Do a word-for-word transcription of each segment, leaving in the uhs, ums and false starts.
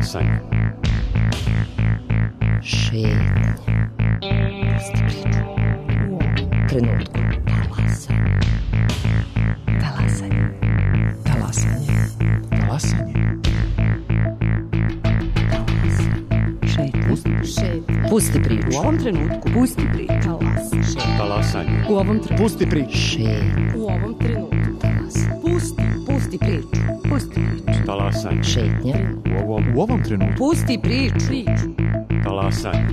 Talasanje. Šetnje. Pusti priču. U ovom trenutku. Talasanje. Talasanje. Talasanje. Talasanje. Šetnje. Pusti priču. U ovom trenutku. Pusti priču. Talasanje. Talasanje. U ovom trenutku. Pusti priču. Šetnje. U ovom trenutku. Talasanje. Pusti. Pusti priču. Pusti priču. Talasanje. Šetnje. U ovom, U ovom trenutku. Pusti priču. Priču. talasanje.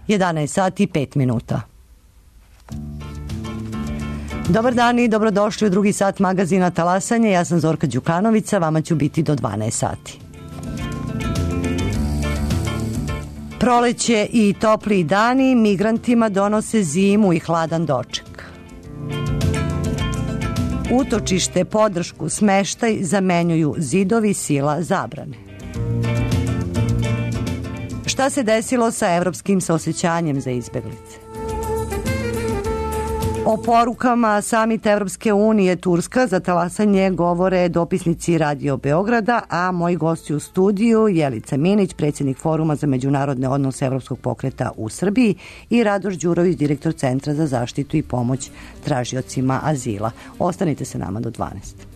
jedanaest sati i pet minuta. Dobar dan i dobrodošli u drugi sat magazina Talasanje. Ja sam Zorka Đukanovića, vama ću biti do dvanaest sati. Proleće i topli dani migrantima donose zimu i hladan doček. Utočište, podršku, smeštaj zamenjuju zidovi, sila, zabrane. Šta se desilo sa evropskim saosećanjem za izbeglice? O porukama samita Evropske unije Turska za talasanje govore dopisnici Radio Beograda, a moji gosti u studiju Jelica Minić, predsjednik Foruma za međunarodne odnose Evropskog pokreta u Srbiji, i Radoš Đurović, direktor Centra za zaštitu i pomoć tražiocima azila. Ostanite sa nama do dvanaest.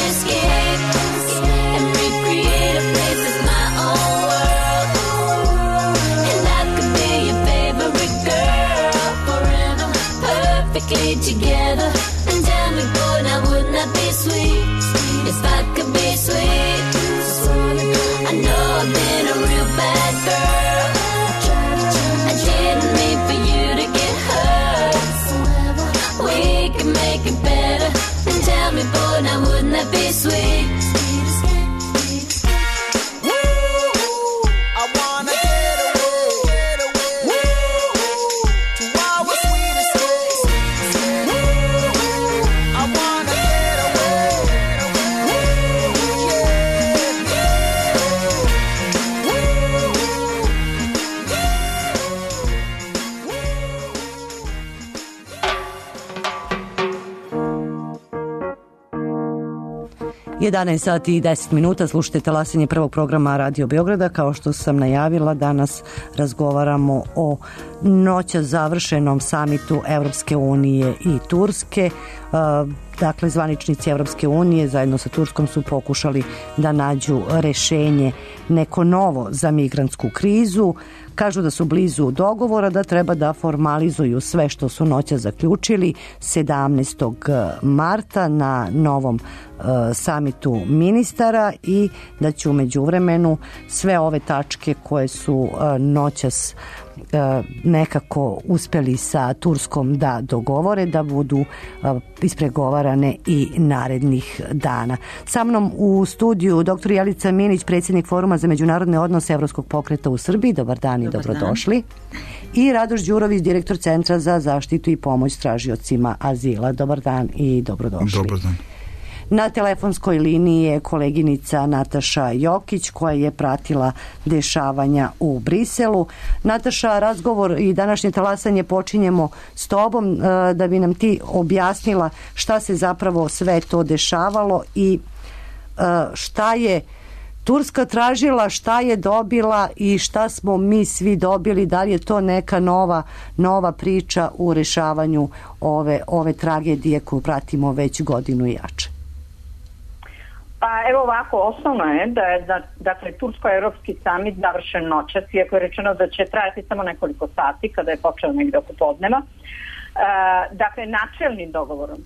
Escape and recreate a place that's my own world. not be sweet if I could be sweet. I know I've been a real bad girl. I didn't mean for you to get hurt. We can make it better. And tell me, boy, now wouldn't that be sweet? jedanaest sati i deset minuta, slušajte talasanje prvog programa Radio Beograda. Kao što sam najavila, danas razgovaramo o noća završenom samitu Evropske unije i Turske. Dakle, zvaničnici Evropske unije zajedno sa Turskom su pokušali da nađu rešenje neko novo za migrantsku krizu. Kažu da su blizu dogovora, da treba da formalizuju sve što su noća zaključili sedamnaestog marta na novom uh, samitu ministara i da će u međuvremenu sve ove tačke koje su uh, noćas uh, nekako uspeli sa Turskom da dogovore, da budu uh, ispregovarane i narednih dana. Sa mnom u studiju doktor Jelica Minić, predsjednik Foruma za međunarodne odnose Evropskog pokreta u Srbiji. Dobar dan i dobrodošli. I Radoš Đurović, direktor Centra za zaštitu i pomoć tražiocima azila. Dobar dan i dobrodošli. Dobar dan. Na telefonskoj liniji je koleginica Nataša Jokić koja je pratila dešavanja u Briselu. Nataša, razgovor i današnje talasanje počinjemo s tobom da bi nam ti objasnila šta se zapravo sve to dešavalo i šta je Turska tražila, šta je dobila i šta smo mi svi dobili, da li je to neka nova, nova priča u rešavanju ove, ove tragedije koju pratimo već godinu i jače? Pa evo ovako, osnovno je da je da, dakle, Tursko-Evropski samit završen noćas, iako je rečeno da će trajati samo nekoliko sati kada je počeo negde oko podneva. E, dakle, načelnim dogovorom,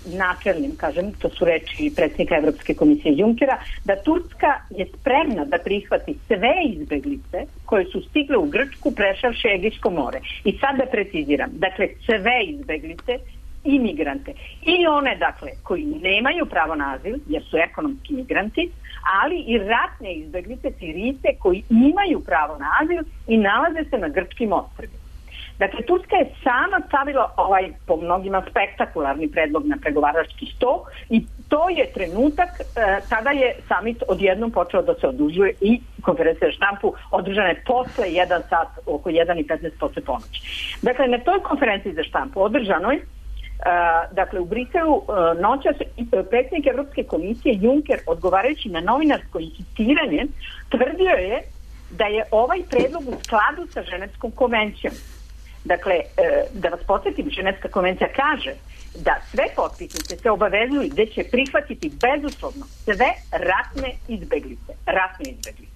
načelnim, kažem, to su reči predsjednika Evropske komisije Junckera, da Turska je spremna da prihvati sve izbeglice koje su stigle u Grčku prešavši Egejsko more. I sad da preciziram, dakle, sve izbeglice i migrante. I one, dakle, koji nemaju pravo na azil, jer su ekonomski migranti, ali i ratne izbeglice, Sirijce, koji imaju pravo na azil i nalaze se na grčkim ostrvima. Dakle, Turska je sama stavila ovaj, po mnogima, spektakularni predlog na pregovarački sto i to je trenutak e, kada je samit odjednom počeo da se odužuje i konferencija za štampu održana je posle jedan sat, oko jedan i petnaest posle ponoći. Dakle, na toj konferenciji za štampu održanoj, Uh, dakle u Briselu uh, noćas uh, predsjednik Evropske komisije Juncker, odgovarajući na novinarsko insistiranje, tvrdio je da je ovaj predlog u skladu sa Ženevskom konvencijom. Dakle, uh, da vas podsjetim, Ženevska konvencija kaže da sve potpisnice se obavezuju da će prihvatiti bezuslovno sve ratne izbeglice. Ratne izbeglice.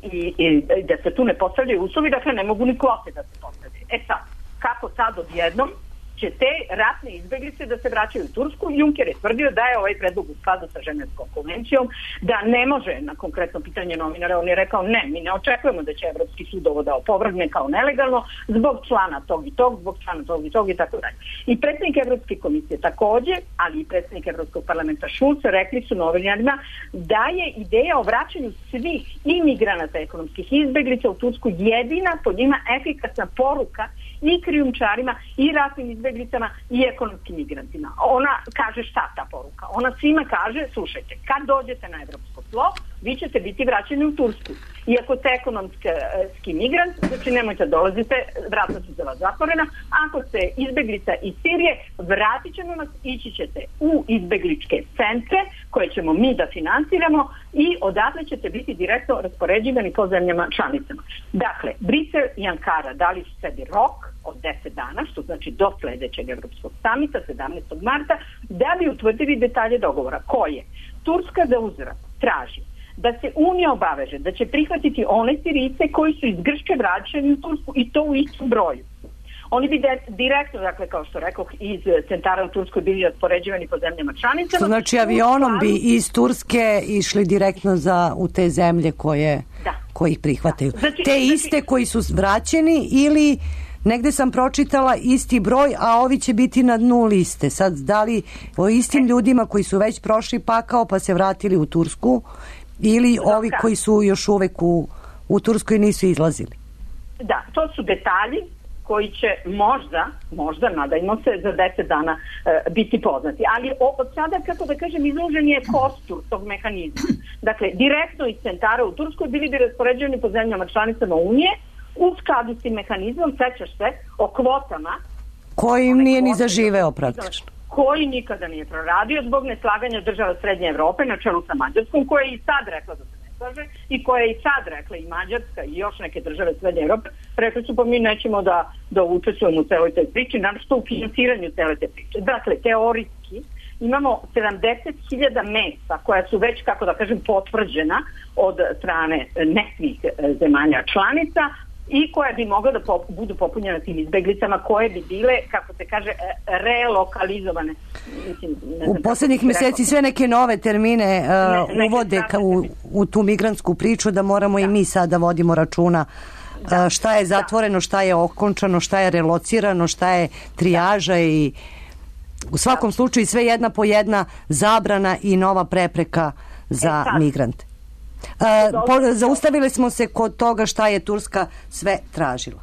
I, i da se tu ne postavljaju uslovi, dakle ne mogu ni kvote da se postavljaju. E sad, kako sad odjednom će te ratne izbeglice da se vraćaju u Tursku? Juncker je tvrdio da je ovaj predlog u skladu sa Ženevskom konvencijom, da ne može, na konkretno pitanje novinara, on je rekao ne, mi ne očekujemo da će Evropski sud ovo da opovrgne kao nelegalno zbog člana tog i tog, zbog člana tog i tog i tako dalje. I predsjednik Evropske komisije takođe, ali i predsjednik Evropskog parlamenta Schulz rekli su novinarima da je ideja o vraćanju svih imigranata ekonomskih izbeglica u Tursku jedina po njima efikasna poruka i krijumčarima i ratnim izbeglicama i ekonomskim migrantima. Ona kaže šta ta poruka? Ona svima kaže, slušajte, kad dođete na evropsko tlo, vi ćete biti vraćeni u Tursku. Iako ste ekonomski migrant, znači nemojte dolazite, vrata su za vas zatvorena. Ako ste izbeglica iz Sirije, vratit ćemo vas, ići ćete u izbegličke centre koje ćemo mi da finansiramo i odatle ćete biti direktno raspoređivani po zemljama članicama. Dakle, Brisel i Ankara dali su sebi rok od deset dana, što znači do sledećeg Evropskog samita, sedamnaestog marta, da bi utvrdili detalje dogovora. Koje? Turska za uzvrat traži da se Unija obaveže da će prihvatiti one Sirijce koji su iz Grčke vraćeni u Tursku i to u istom broju. Oni bi de, direktno, dakle, kao što rekoh, iz centara u Turskoj bili raspoređivani po zemljama članicama. Znači avionom bi iz Turske išli direktno za, u te zemlje koje, da. koji ih prihvataju. Da. Znači, te iste znači, koji su vraćeni ili negde sam pročitala isti broj, a ovi će biti na dnu liste. Sad, da li o istim ljudima koji su već prošli pakao pa se vratili u Tursku ili ovi koji su još uvek u, u Turskoj nisu izlazili? Da, to su detalji koji će možda, možda nadajmo se, za deset dana e, biti poznati. Ali od sada, kako da kažem, izložen je kostur tog mehanizma. Dakle, direktno iz centara u Turskoj bili bi raspoređeni po zemljama članicama Unije u skladu s tim mehanizmom, sećaš se, o kvotama. Koji im nije ni zaživeo praktično. Koji nikada nije proradio zbog neslaganja država Srednje Evrope na čelu sa Mađarskom, koja je i sad rekla da se ne slaže i koja je i sad rekla i Mađarska i još neke države Srednje Evrope, rekli su pa mi nećemo da, da učestvujemo u celoj toj priči, naravno što u financiranju cele te priče. Dakle, teorijski imamo sedamdeset hiljada mesta koja su već, kako da kažem, potvrđena od strane nekih zemalja članica i koje bi mogla da pop, budu popunjene tim izbeglicama koje bi bile, kako se kaže, relokalizovane. Mislim, ne znam, u poslednjih meseci sve neke nove termine uh, ne, uvode ka, u, u tu migrantsku priču da moramo da. i mi sada vodimo računa da. uh, šta je zatvoreno, šta je okončano, šta je relocirano, šta je trijaža da. i u svakom da. slučaju sve jedna po jedna zabrana i nova prepreka za e, migrante. Uh, po, zaustavili smo se kod toga šta je Turska sve tražila.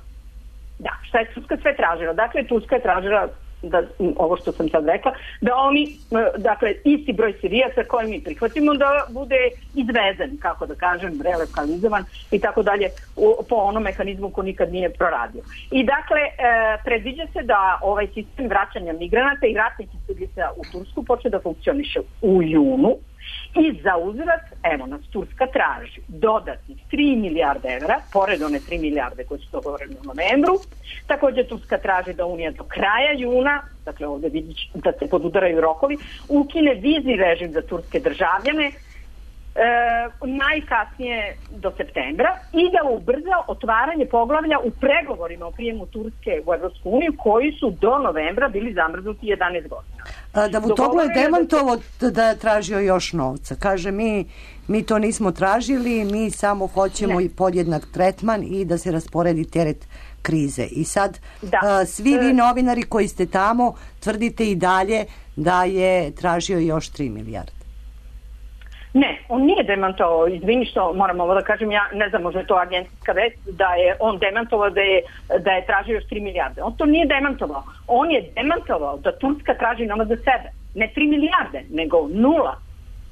Da, šta je Turska sve tražila? Dakle, Turska je tražila da, ovo što sam sad rekla, da oni, dakle, isti broj Sirijaca koji mi prihvatimo da bude izvezen, kako da kažem, relokalizovan i tako dalje po onom mehanizmu ko nikad nije proradio. I dakle, e, predviđa se da ovaj sistem vraćanja migranata i ratnih izbjeglica u Tursku počne da funkcioniše u junu. I za uzvrat, evo nas, Turska traži dodatnih tri milijarde evra, pored one tri milijarde koje su dogovorene u novembru. Također Turska traži da Unija do kraja juna, dakle ovdje vidiš da se podudaraju rokovi, ukine vizni režim za turske državljane, E, najkasnije do septembra i da ubrza otvaranje poglavlja u pregovorima o prijemu Turske u Evropsku uniju koji su do novembra bili zamrznuti jedanaest godina. A, Davutoglu je demantovo da je tražio još novca. Kaže mi, mi to nismo tražili, mi samo hoćemo ne. i podjednak tretman i da se rasporedi teret krize. I sad da. a, svi vi novinari koji ste tamo tvrdite i dalje da je tražio još tri milijarde. Ne, on nije demantovao, izvini što moram ovo da kažem, ja ne znam, možda je to agencijska vest, da je on demantovao da je, da je tražio još tri milijarde. On to nije demantovao. On je demantovao da Turska traži novac za sebe. Ne tri milijarde, nego nula.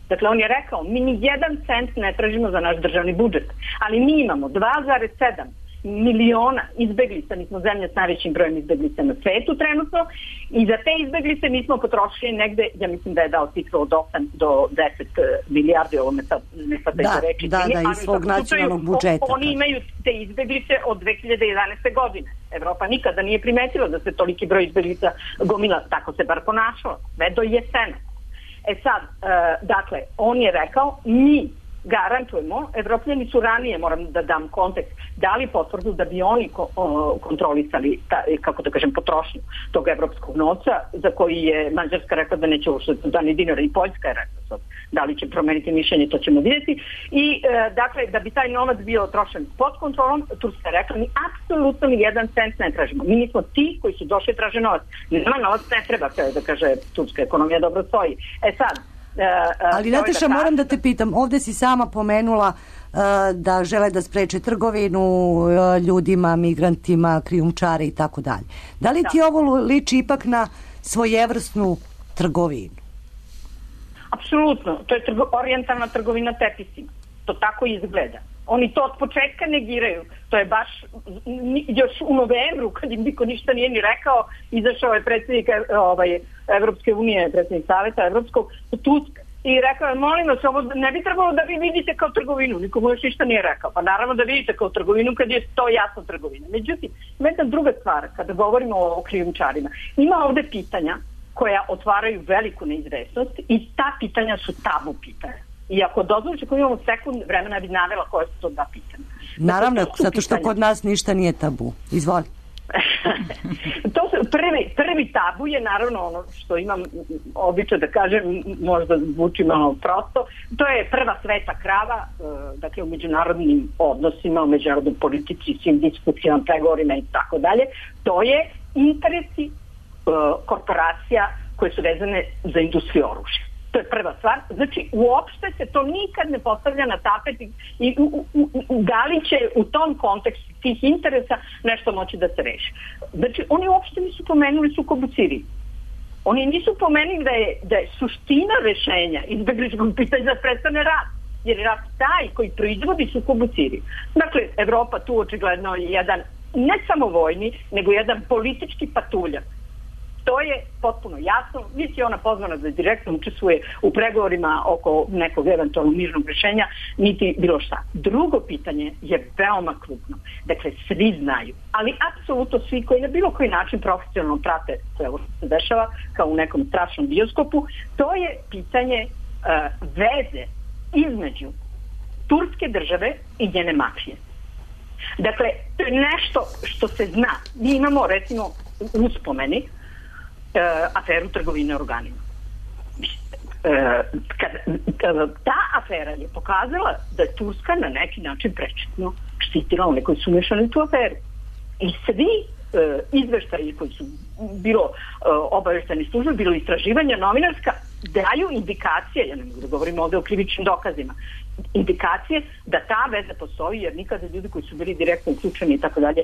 Dakle, on je rekao, mi ni jedan cent ne tražimo za naš državni budžet, ali mi imamo dva zarez sedam miliona izbeglica, mi smo zemlja s najvećim brojem izbeglica na svetu trenutno i za te izbeglice mi smo potrošili negde, ja mislim da je dao cifru od osam do deset milijardi, ovo me sad ne sad da reći. Da, da, iz svog nacionalnog budžeta. Oni imaju te izbeglice od dve hiljade jedanaeste. godine. Evropa nikada nije primetila da se toliki broj izbeglica gomila, tako se bar ponašalo, sve do jesena. E sad, uh, dakle, on je rekao, mi garantujemo, Evropljani su ranije, moram da dam kontekst, dali potvrdu da bi oni ko, o, kontrolisali, ta, kako da kažem, potrošnju tog evropskog novca, za koji je Mađarska rekla da neće uštiti da ni dinara i Poljska je rekla sad. Da li će promeniti mišljenje, to ćemo vidjeti. I, e, dakle, da bi taj novac bio trošen pod kontrolom, Turska je rekla, mi apsolutno ni jedan cent ne tražimo. Mi nismo ti koji su došli traže novac. Nama novac ne treba, da kaže, turska ekonomija dobro stoji. E sad, Uh, uh, ali Nataša, da moram da te pitam, ovde si sama pomenula uh, da žele da spreče trgovinu uh, ljudima, migrantima, krijumčare i tako dalje. Da li da. ti ovo liči ipak na svojevrsnu trgovinu? Apsolutno, to je trgo, orijentalna trgovina tepisima. To tako izgleda. Oni to od početka negiraju. To je baš još u novembru, kad im niko ništa nije ni rekao, izašao je predsjednik ovaj, Evropske unije, predsjednik Saveta Evropskog, Tusk, i rekao je, molim vas, ovo ne bi trebalo da vi vidite kao trgovinu. Nikomu još ništa nije rekao. Pa naravno da vidite kao trgovinu kad je to jasno trgovina. Međutim, jedna druga stvar, kada govorimo o krijumčarima, ima ovde pitanja koja otvaraju veliku neizvesnost i ta pitanja su tabu pitanja. I ako dozvoliš, ako imamo sekund vremena, bi navela koje su to da pitanja. Naravno, zato što kod nas ništa nije tabu. Izvoli. to su prvi, prvi tabu je naravno ono što imam običaj da kažem, možda zvuči malo prosto, to je prva sveta krava, dakle u međunarodnim odnosima, u međunarodnoj politici, svim diskusijama, pregovorima i tako dalje, to je interesi korporacija koje su vezane za industriju oružja. To je prva stvar. Znači, uopšte se to nikad ne postavlja na tapet i, i u, u, u, da li će u tom kontekstu tih interesa nešto moći da se reši. Znači, oni uopšte nisu pomenuli sukob u Siriji. Oni nisu pomenuli da je, da je suština rešenja izbegličkog pitanja da prestane rat. Jer je rat taj koji proizvodi sukob u Siriji. Dakle, Evropa tu očigledno je jedan, ne samo vojni, nego jedan politički patuljak. To je potpuno jasno. Niti je ona pozvana da direktno učestvuje u pregovorima oko nekog eventualnog mirnog rješenja, niti bilo šta. Drugo pitanje je veoma krupno. Dakle, svi znaju, ali apsolutno svi koji na bilo koji način profesionalno prate sve ovo što se dešava, kao u nekom strašnom bioskopu, to je pitanje uh, veze između turske države i njene mafije. Dakle, to je nešto što se zna. Mi imamo, recimo, u uspomeni Uh, aferu trgovine organima. Uh, kad, kad, ta afera je pokazala da je Turska na neki način prečetno štitila one koji su umešani u tu aferu. I svi uh, izveštaji koji su bilo uh, obavešteni službe, bilo istraživanja novinarska, daju indikacije, ja ne mogu da govorim ovde o krivičnim dokazima, indikacije da ta veza postoji, jer nikada ljudi koji su bili direktno uključeni i tako dalje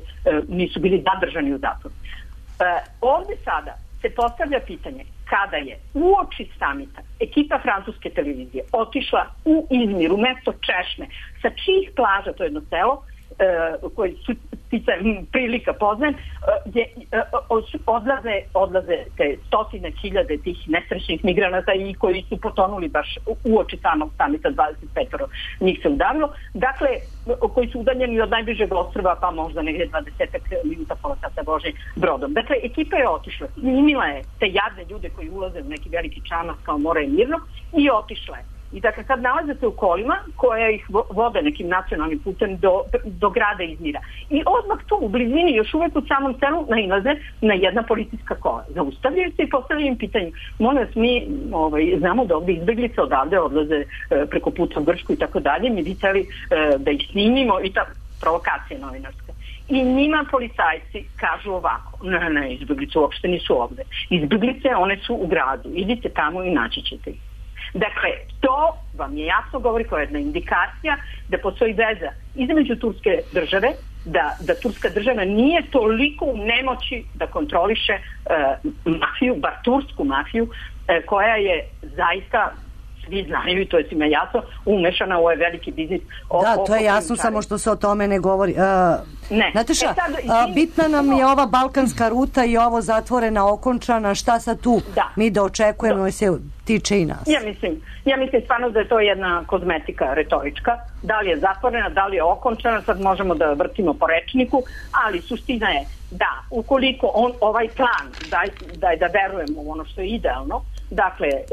nisu bili zadržani u zatvoru. Uh, ovde sada se postavlja pitanje kada je uoči samita ekipa francuske televizije otišla u Izmir, u mesto Češme, sa čijih plaža, to je jedno selo, Uh, koji su sticajem prilika poznajem, uh, je, uh, odlaze, odlaze te stotine hiljade tih nesrećnih migranata i koji su potonuli baš uoči samog samita, dvadeset pet njih se udavilo, dakle, koji su udaljeni od najbližeg ostrva, pa možda negdje dvadeset minuta pola sata Božim brodom. Dakle, ekipa je otišla, snimila je te jadne ljude koji ulaze u neki veliki čamac kao More i Mirnog i otišla je. I dakle, sad nalaze se u kolima koje ih vode nekim nacionalnim putem do, do grada Izmira. I odmah tu, u blizini, još uvek u samom selu, nailaze na jedna policijska kola. Zaustavljaju se i postavljaju im pitanje. Molim vas, mi ovaj, znamo da ovdje izbeglice odavde odlaze e, preko puta u Grčku i tako dalje. Mi bi htjeli e, da ih snimimo i ta provokacija novinarska. I njima policajci kažu ovako, ne, ne, izbeglice uopšte nisu ovde. Izbeglice, one su u gradu. Idite tamo i naći ćete ih. Dakle, to vam je jasno govori kao jedna indikacija da postoji veza između turske države, da, da turska država nije toliko u nemoći da kontroliše uh, mafiju, bar tursku mafiju, uh, koja je zaista, svi znaju i to je svima jasno, umešana u ovaj veliki biznis. O, da, to je jasno, samo što se o tome ne govori. Uh, ne. Znate šta, e sad, uh, bitna nam je ova balkanska ruta i ovo zatvorena, okončana, šta sad tu da. mi da očekujemo da se tiče i nas? Ja mislim, ja mislim stvarno da je to jedna kozmetika retorička. Da li je zatvorena, da li je okončana, sad možemo da vrtimo po rečniku, ali suština je da ukoliko on, ovaj plan da, da, da verujemo u ono što je idealno, dakle e,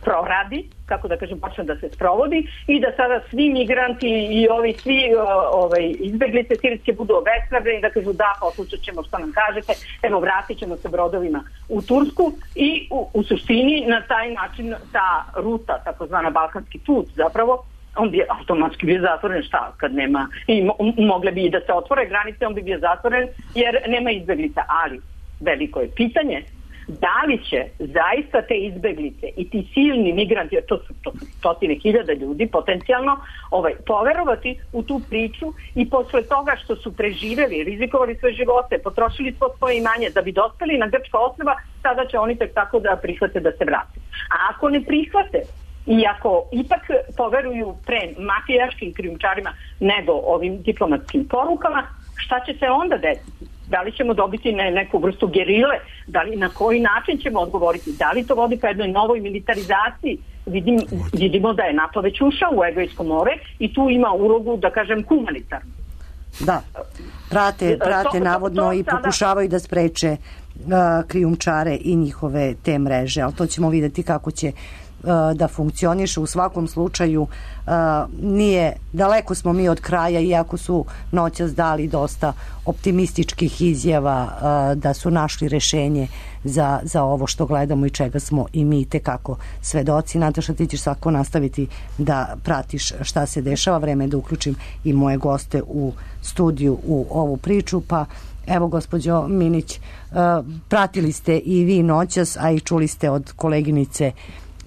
proradi, kako da kažem, počne da se sprovodi i da sada svi migranti i ovi svi o, ovaj, izbeglice sirijske budu obespravljeni, da kažu da, poslušat ćemo što nam kažete, evo vratit ćemo se brodovima u Tursku i u, u suštini na taj način ta ruta, takozvana balkanski put zapravo, on bi automatski bio zatvoren, šta, kad nema, i mo, mogle bi i da se otvore granice, on bi bio zatvoren jer nema izbeglica, ali veliko je pitanje da li će zaista te izbeglice i ti silni migranti, to su, to su stotine hiljada ljudi potencijalno, ovaj, poverovati u tu priču i posle toga što su preživeli, rizikovali svoje živote, potrošili svo svoje imanje da bi dospeli na grčka ostrva, sada će oni tek tako da prihvate da se vrate. A ako ne prihvate i ako ipak poveruju pre mafijaškim krijumčarima nego ovim diplomatskim porukama, šta će se onda desiti? Da li ćemo dobiti ne, neku vrstu gerile? Da li, na koji način ćemo odgovoriti? Da li to vodi ka jednoj novoj militarizaciji? Vidim, vidimo da je NATO već ušao u Egejsko more i tu ima ulogu, da kažem, humanitarnu. Da, prate, prate to, navodno to, to i sada pokušavaju da spreče uh, krijumčare i njihove te mreže, ali to ćemo vidjeti kako će da funkcioniše. U svakom slučaju nije, daleko smo mi od kraja, iako su noćas dali dosta optimističkih izjava da su našli rešenje za, za ovo što gledamo i čega smo i mi tekako svedoci. Nataša, ti ćeš svako nastaviti da pratiš šta se dešava. Vreme je da uključim i moje goste u studiju u ovu priču, pa evo, gospođo Minić, pratili ste i vi noćas, a i čuli ste od koleginice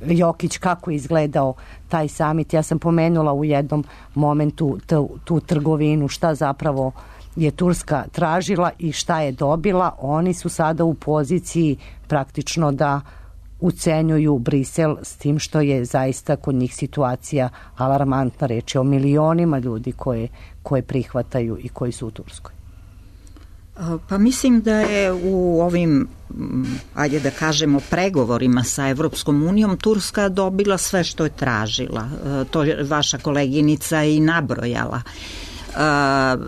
Jokić kako je izgledao taj samit. Ja sam pomenula u jednom momentu tu, tu trgovinu, šta zapravo je Turska tražila i šta je dobila. Oni su sada u poziciji praktično da ucenjuju Brisel, s tim što je zaista kod njih situacija alarmantna. Reč je o milionima ljudi koje, koje prihvataju i koji su u Turskoj. Pa mislim da je u ovim, ajde da kažemo, pregovorima sa Evropskom unijom Turska dobila sve što je tražila. To je vaša koleginica i nabrojala.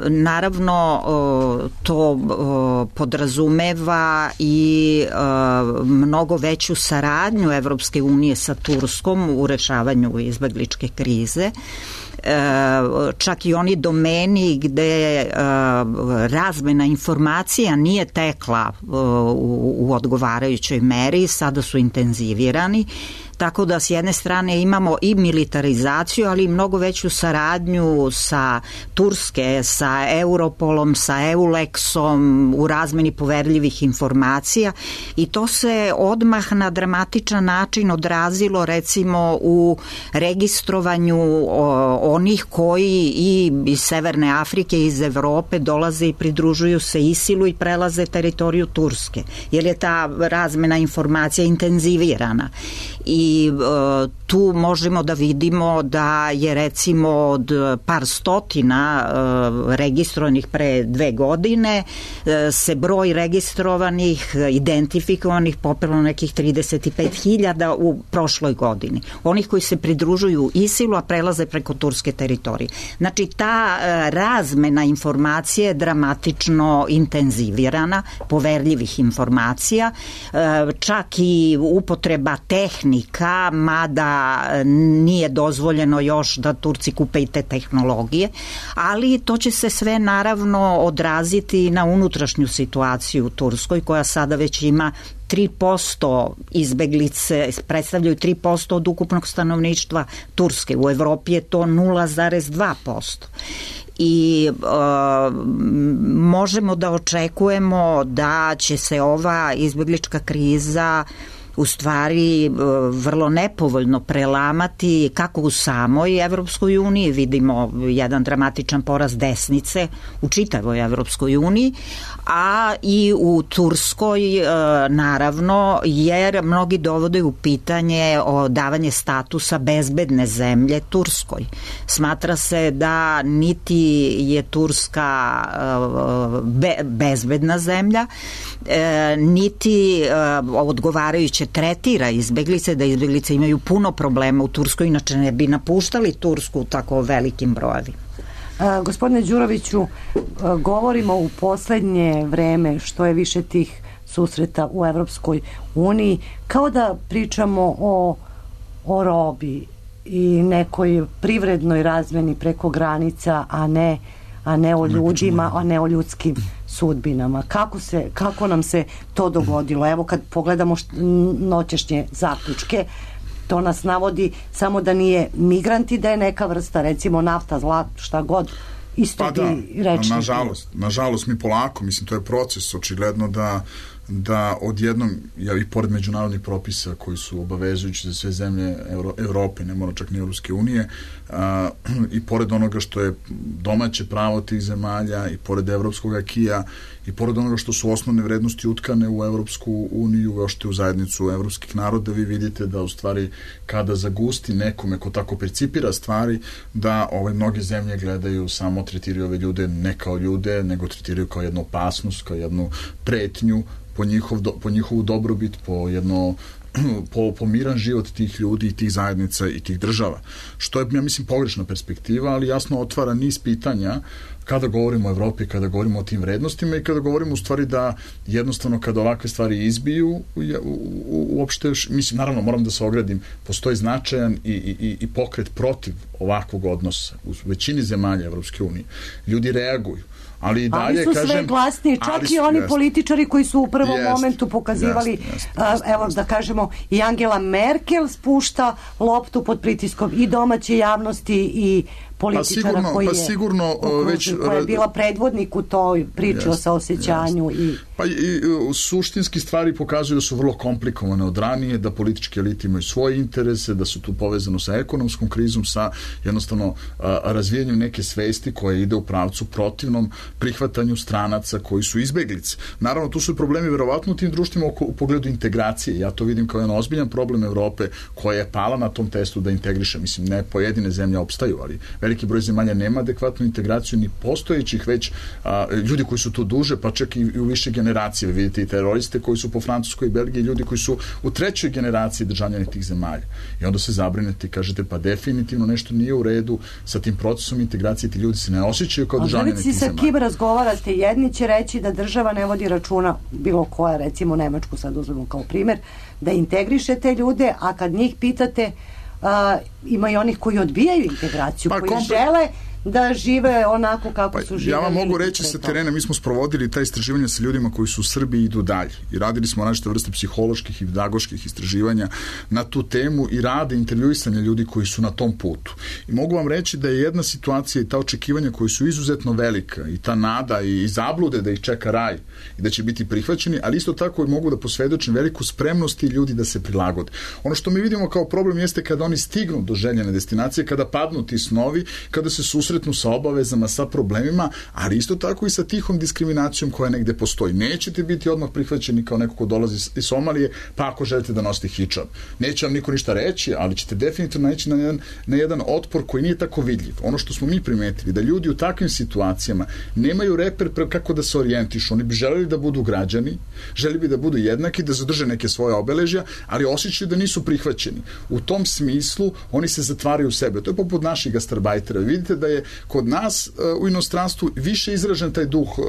Naravno, to podrazumeva i mnogo veću saradnju Evropske unije sa Turskom u rešavanju izbegličke krize. Čak i oni domeni gde razmena informacija nije tekla u odgovarajućoj meri, sada su intenzivirani. Tako da s jedne strane imamo i militarizaciju, ali i mnogo veću saradnju sa Turske, sa Europolom, sa Eulexom u razmeni poverljivih informacija i to se odmah na dramatičan način odrazilo recimo u registrovanju onih koji i iz Severne Afrike i iz Evrope dolaze i pridružuju se ISIL-u i prelaze teritoriju Turske, jer je ta razmena informacija intenzivirana. I I uh, tu možemo da vidimo da je recimo od par stotina uh, registrovanih pre dve godine uh, se broj registrovanih, identifikovanih popelo nekih trideset pet hiljada u prošloj godini. Onih koji se pridružuju ISIL-u, a prelaze preko turske teritorije. Znači ta uh, razmena informacije je dramatično intenzivirana, poverljivih informacija, uh, čak i upotreba tehnika, mada nije dozvoljeno još da Turci kupe i te tehnologije, ali to će se sve naravno odraziti na unutrašnju situaciju u Turskoj, koja sada već ima tri posto izbeglice, predstavljaju tri posto od ukupnog stanovništva Turske. U Evropi je to nula zarez dva posto. I e, možemo da očekujemo da će se ova izbeglička kriza u stvari vrlo nepovoljno prelamati kako u samoj Evropskoj uniji, vidimo jedan dramatičan porast desnice u čitavoj Evropskoj uniji, a i u Turskoj naravno, jer mnogi dovode u pitanje o davanje statusa bezbedne zemlje Turskoj. Smatra se da niti je Turska be, bezbedna zemlja, niti odgovarajuće tretira izbeglice, da izbeglice imaju puno problema u Turskoj, inače ne bi napuštali Tursku u tako velikim brojevima. A, gospodine Đuroviću, a, govorimo u poslednje vreme što je više tih susreta u Evropskoj uniji, kao da pričamo o, o robi i nekoj privrednoj razmeni preko granica, a ne a ne o ljudima, a ne o ljudskim sudbinama. Kako se, kako nam se to dogodilo? Evo kad pogledamo št, noćešnje zaključke, to nas navodi samo da nije migranti, da je neka vrsta, recimo nafta, zlat, šta god, isto pa bi da, rečni. Nažalost, nažalost mi polako, mislim, to je proces, očigledno da da odjednom, ja, i pored međunarodnih propisa koji su obavezujući za sve zemlje Euro, Evrope, ne mora čak ni Evropske unije, a, i pored onoga što je domaće pravo tih zemalja, i pored evropskog akija, i pored onoga što su osnovne vrednosti utkane u Evropsku uniju, kao što je u zajednicu evropskih naroda, vi vidite da u stvari kada zagusti nekome ko tako percipira stvari, da ove mnoge zemlje gledaju, samo tretiraju ove ljude ne kao ljude, nego tretiraju kao jednu opasnost, kao jednu pretnju po, njihov, po njihovu dobrobit, po jedno po, po miran život tih ljudi i tih zajednica i tih država. Što je, ja mislim, pogrešna perspektiva, ali jasno otvara niz pitanja kada govorimo o Evropi, kada govorimo o tim vrednostima i kada govorimo u stvari da jednostavno kada ovakve stvari izbiju u, u, uopšte, mislim, naravno moram da se ogradim, postoji značajan i, i, i pokret protiv ovakvog odnosa u većini zemalja Evropske unije. Ljudi reaguju. Ali, i dalje, ali su kažem, sve glasniji, čak i oni jest, političari koji su u prvom jest, momentu pokazivali, jest, jest, jest, evo da kažemo, i Angela Merkel spušta loptu pod pritiskom i domaće javnosti i političara pa sigurno, koji je, pa sigurno, već, koja je bila predvodnik u toj priči jest, o saosećanju. I... Pa i, i suštinski stvari pokazuju da su vrlo komplikovane od ranije, da politički elite imaju svoje interese, da su tu povezano sa ekonomskom krizom, sa jednostavno a, razvijanjem neke svesti koja ide u pravcu protivnom prihvatanju stranaca koji su izbeglice. Naravno, tu su problemi verovatno u tim društvima u, u pogledu integracije. Ja to vidim kao jedan ozbiljan problem Evrope koja je pala na tom testu da integriše. Mislim, ne pojedine zemlje opstaju, ali veliki broj zemalja nema adekvatnu integraciju ni postojećih već a, ljudi koji su tu duže, pa čak i, i u više generacije. Vi vidite i teroriste koji su po Francuskoj i Belgiji, ljudi koji su u trećoj generaciji državljani tih zemalja. I onda se zabrinete i kažete, pa definitivno nešto nije u redu sa tim procesom integracije, ti ljudi se ne osjećaju kao državljani tih zemalja. Sa kim razgovarate, jedni će reći da država ne vodi računa, bilo koja, recimo Nemačku sad uzmemo kao primer, da integriše te ljude, a kad njih pitate, uh, ima i onih koji odbijaju integraciju, pa, koji kompre... žele da žive onako kako pa, su živeli. Ja vam mogu reći sa terena, mi smo sprovodili ta istraživanja sa ljudima koji su u Srbiji i idu dalje. I radili smo različite vrste psiholoških i pedagoških istraživanja na tu temu i rade intervjuisanja ljudi koji su na tom putu. I mogu vam reći da je jedna situacija i ta očekivanja koji su izuzetno velika i ta nada i, i zablude da ih čeka raj i da će biti prihvaćeni, ali isto tako i mogu da posvedočim veliku spremnost i ljudi da se prilagode. Ono što mi vidimo kao problem jeste kada oni stignu do željene destinacije, kada padnu ti snovi, kada se susretnu sa obavezama, sa problemima, ali isto tako i sa tihom diskriminacijom koja negde postoji. Nećete biti odmah prihvaćeni kao neko ko dolazi iz Somalije, pa ako želite da nosite hidžab. Neće vam niko ništa reći, ali ćete definitivno naći na jedan, na jedan otpor koji nije tako vidljiv. Ono što smo mi primetili, da ljudi u takvim situacijama nemaju reper kako da se orijentišu. Oni bi želeli da budu građani, želeli bi da budu jednaki, da zadrže neke svoje obeležja, ali osjećaju da nisu prihvaćeni. U tom smislu oni se zatvaraju u sebe. To je poput naših gastarbajtera. Vidite da je kod nas uh, u inostranstvu više izražen taj duh uh,